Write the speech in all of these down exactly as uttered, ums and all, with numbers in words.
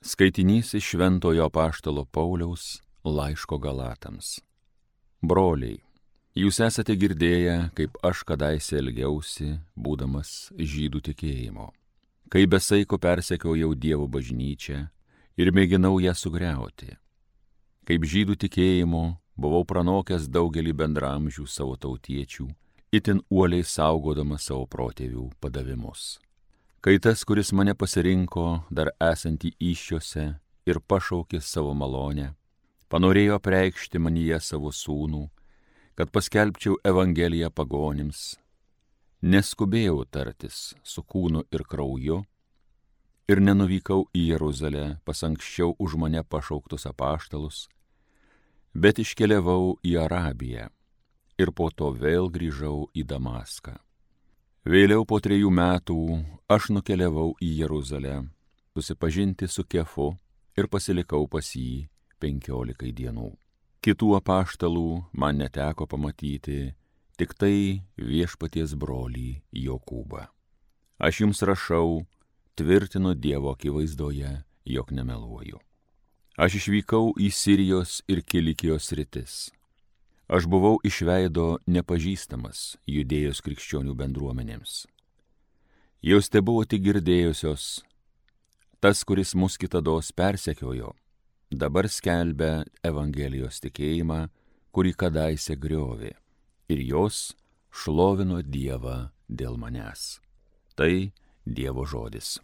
Skaitinys iš Šventojo apaštalo Pauliaus laiško Galatams. Broliai, jūs esate girdėję, kaip aš kadaise elgiausi, būdamas žydų tikėjimo, kai besaiko persekiojau Dievo bažnyčią ir mėginau ją sugriauti. Kaip žydų tikėjimo buvau pranokęs daugelį bendramžių savo tautiečių, itin uoliai saugodamas savo protėvių padavimus. Kai tas, kuris mane pasirinko, dar esantį įsčiose ir pašaukė savo malonę, panorėjo apreikšti manyje savo sūnų, kad paskelbčiau Evangeliją pagonims, neskubėjau tartis su kūnu ir krauju ir nenuvykau į Jeruzalę pas anksčiau už mane pašauktus apaštalus, bet iškeliavau į Arabiją ir po to vėl grįžau į Damaską. Vėliau po trejų metų aš nukeliavau į Jeruzalę, susipažinti su Kefu ir pasilikau pas jį penkiolikai dienų. Kitų apaštalų man neteko pamatyti, tik tai Viešpaties brolį Jokūbą. Aš jums rašau, tvirtinu Dievo akivaizdoje, jog nemeluoju. Aš išvykau į Sirijos ir Kilikijos sritis. Aš buvau iš veido nepažįstamas Judėjos krikščionių bendruomenėms. Jos tebuvo tik girdėjusios, tas, kuris mus kitados persekiojo, dabar skelbia Evangelijos tikėjimą, kurį kadaise griovė, ir jos šlovino Dievą dėl manęs. Tai Dievo žodis.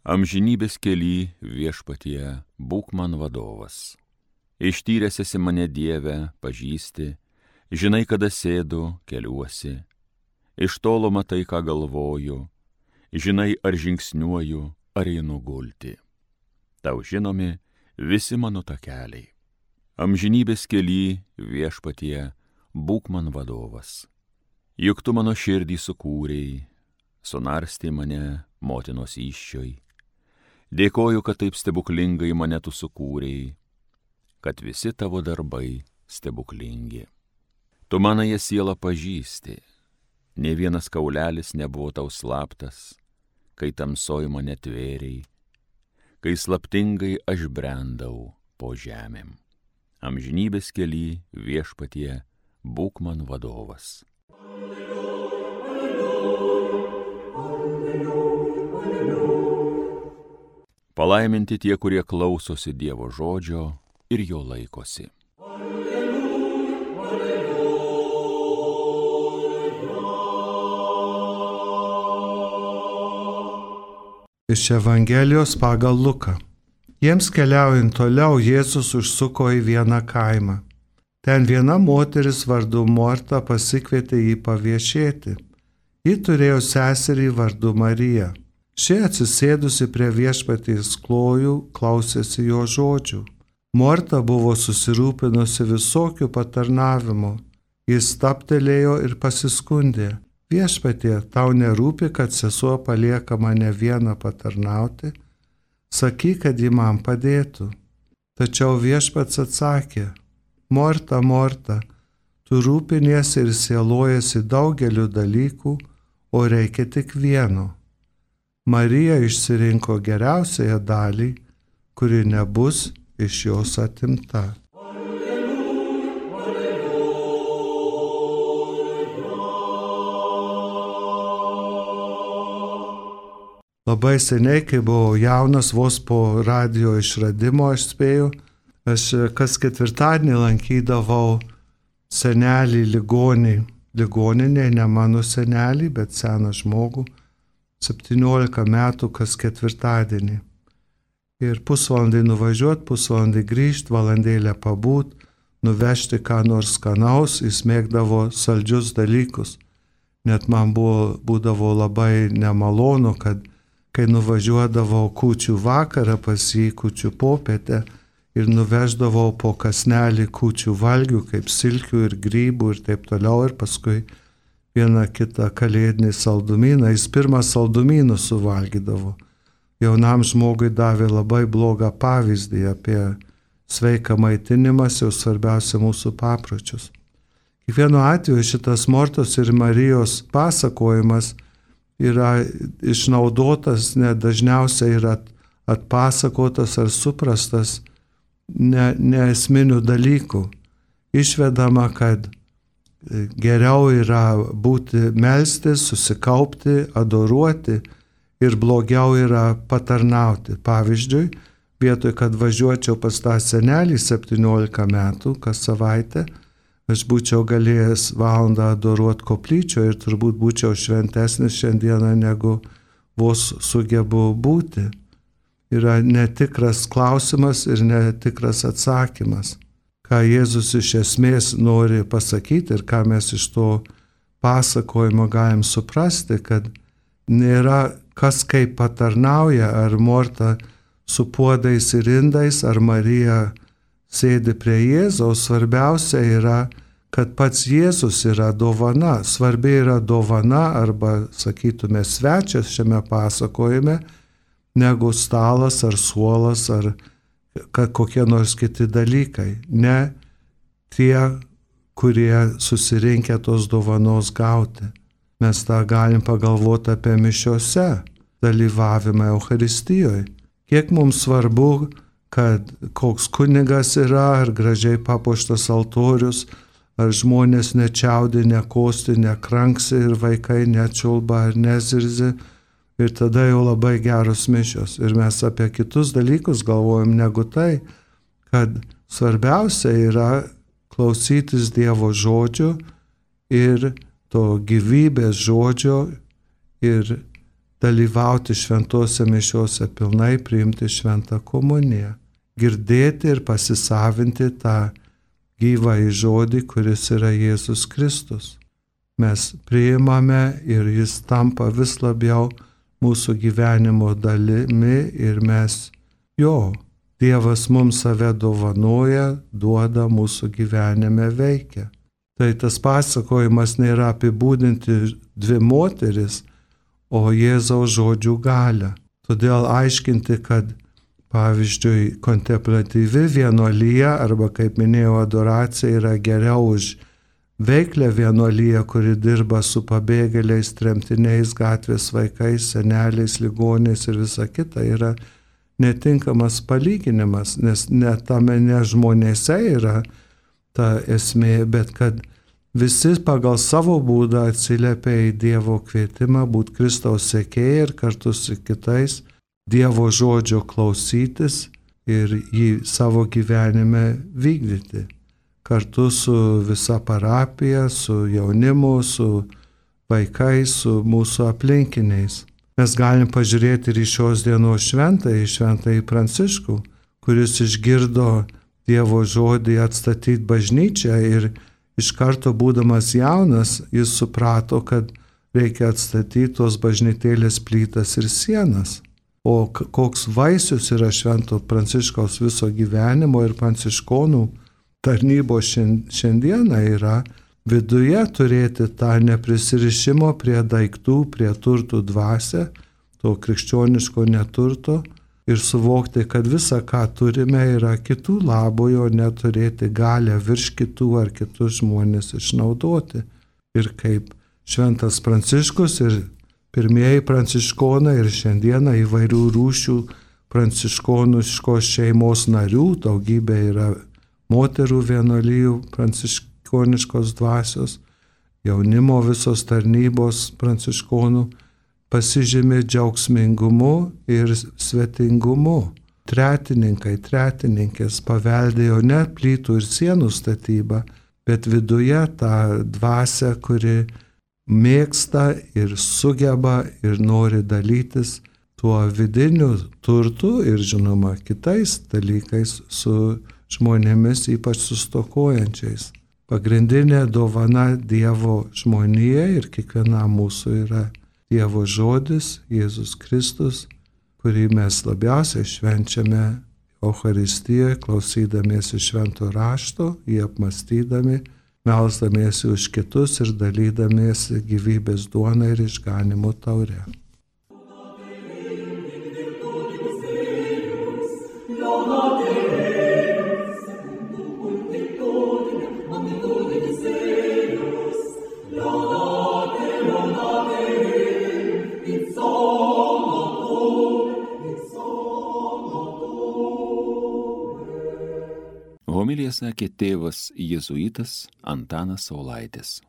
Amžinybės kely Viešpatie, būk man vadovas. Ištyręs esi mane Dieve, pažįsti, žinai, kada sėdu, keliuosi. Iš tolo matai, ką galvoju, žinai, ar žingsniuoju, ar einu gulti. Tau žinomi visi mano takeliai. Amžinybės kely Viešpatie, būk man vadovas. Juk tu mano širdį sukūrei, sunarstei mane motinos įsčioj. Dėkoju, kad taip stebuklingai mane tu sukūrei, kad visi tavo darbai stebuklingi. Tu manąją sielą pažįsti, nė vienas kaulelis nebuvo tau slaptas, kai tamsoj mane tvėrei, kai slaptingai aš brendau po žemėm. Amžinybės kely Viešpatie, būk man vadovas. Palaiminti tie, kurie klausosi Dievo žodžio ir jo laikosi. Iš Evangelijos pagal Luką. Jiems keliaujant toliau, Jėzus užsuko į vieną kaimą. Ten viena moteris vardu Morta pasikvietė jį paviešėti. Ji turėjo seserį vardu Mariją. Ši atsisėdusi prie Viešpaties klojų klausėsi jo žodžių. Morta buvo susirūpinusi visokių patarnavimų. Jis stabtelėjo ir pasiskundė. Viešpatie, tau nerūpi, kad sesuo palieka mane vieną patarnauti? Sakyk, kad ji man padėtų. Tačiau Viešpats atsakė, Morta, Morta, tu rūpiniesi ir sielojasi daugeliu dalykų, o reikia tik vieno. Marija išsirinko geriausiąją dalį, kuri nebus iš jos atimta. Labai seniai, kai buvau jaunas, vos po radijo išradimo, aš spėjau, aš kas ketvirtadienį lankydavau senelį ligonį. Ligoninė, ne mano senelį, bet seną žmogų. septyniolika metų kas ketvirtadienį. Ir pusvalandį nuvažiuot, pusvalandį grįžt, valandėlę pabūt, nuvežti ką nors skanaus, jis mėgdavo saldžius dalykus. Net man buvo, būdavo labai nemalonu, kad kai nuvažiuodavau kūčių vakarą pas jį, kūčių popietę, ir nuveždavau po kasnelį kūčių valgių, kaip silkių ir grybų ir taip toliau, ir paskui vieną kitą kalėdinį saldumyną, jis pirmą saldumynų suvalgydavo. Jaunam žmogui davė labai blogą pavyzdį apie sveiką maitinimąsi, o svarbiausia mūsų papročius. Kiekvienu atveju šitas Mortos ir Marijos pasakojimas yra išnaudotas, ne dažniausiai yra atpasakotas ar suprastas ne, ne esminių dalykų. Išvedama, kad geriau yra būti melstis, susikaupti, adoruoti ir blogiau yra patarnauti. Pavyzdžiui, vietoj, kad važiuočiau pas tą senelį septyniolika metų kas savaitę, aš būčiau galėjęs valandą adoruoti koplyčioje ir turbūt būčiau šventesnis šiandieną negu vos sugebu būti. Yra netikras klausimas ir netikras atsakymas. Ką Jėzus iš esmės nori pasakyti ir ką mes iš to pasakojimo galim suprasti, kad nėra kas kaip patarnauja, ar Morta su puodais ir indais, ar Marija sėdi prie Jėzaus. Svarbiausia yra, kad pats Jėzus yra dovana. Svarbi yra dovana arba, sakytume, svečias šiame pasakojime, negu stalas ar suolas ar kokie nors kiti dalykai. Ne tie, kurie susirinkę tos dovanos gauti. Mes tą galim pagalvoti apie mišiose, dalyvavimą Eucharistijoje. Kiek mums svarbu, kad koks kunigas yra, ar gražiai papuoštas altorius, ar žmonės nečiaudi, nekosti, nekranksi ir vaikai nečiulba ar nezirzi. Ir tada jau labai geros mišios. Ir mes apie kitus dalykus galvojam negu tai, kad svarbiausia yra klausytis Dievo žodžio ir to gyvybės žodžio ir dalyvauti šventose mišiose pilnai, priimti šventą komuniją. Girdėti ir pasisavinti tą gyvąjį žodį, kuris yra Jėzus Kristus. Mes priimame ir jis tampa vis labiau mūsų gyvenimo dalimi ir mes jo, Dievas mums save dovanoja, duoda, mūsų gyvenime veikia. Tai tas pasakojimas nėra apibūdinti dvi moteris, o Jėzaus žodžių galią. Todėl aiškinti, kad pavyzdžiui kontemplatyvi vienuolija arba, kaip minėjau, adoracija yra geriau už veiklę vienuoliją, kuri dirba su pabėgėliais, tremtiniais, gatvės vaikais, seneliais, ligoniais ir visa kita, yra netinkamas palyginimas, nes ne tame ne žmonėse yra ta esmė, bet kad visi pagal savo būdą atsiliepia į Dievo kvietimą būti Kristaus sekėjai ir kartu su kitais Dievo žodžio klausytis ir jį savo gyvenime vykdyti. Kartu su visa parapija, su jaunimu, su vaikais, su mūsų aplinkiniais. Mes galim pažiūrėti ir į šios dienos šventąjį, šventąjį Pranciškų, kuris išgirdo Dievo žodį atstatyti bažnyčią ir iš karto būdamas jaunas, jis suprato, kad reikia atstatyti tos bažnytėlės plytas ir sienas. O koks vaisius yra švento Pranciškaus viso gyvenimo ir pranciškonų tarnybos šiandieną yra viduje turėti tą neprisirišimo prie daiktų, prie turtų dvasią, to krikščioniško neturto ir suvokti, kad visa, ką turime, yra kitų labui, o neturėti galę virš kitų ar kitus žmonės išnaudoti. Ir kaip šventas Pranciškus ir pirmieji pranciškonai ir šiandieną įvairių rūšių pranciškoniškos šeimos narių, daugybė yra moterų vienuolijų pranciškoniškos dvasios, jaunimo visos tarnybos pranciškonų pasižymi džiaugsmingumu ir svetingumu. Tretininkai, tretininkės paveldėjo ne plytų ir sienų statybą, bet viduje tą dvasią, kuri mėgsta ir sugeba ir nori dalytis tuo vidiniu turtu ir, žinoma, kitais dalykais su žmonėmis, ypač sustokojančiais. Pagrindinė dovana Dievo žmonijai ir kiekvienam mūsų yra Dievo žodis, Jėzus Kristus, kurį mes labiausiai švenčiame Eucharistijoje, klausydamiesi švento rašto, jį apmastydami, melsdamiesi už kitus ir dalydamiesi gyvybės duoną ir išganimo taurę. Homilija sakė tėvas jėzuitas Antanas Saulaitis.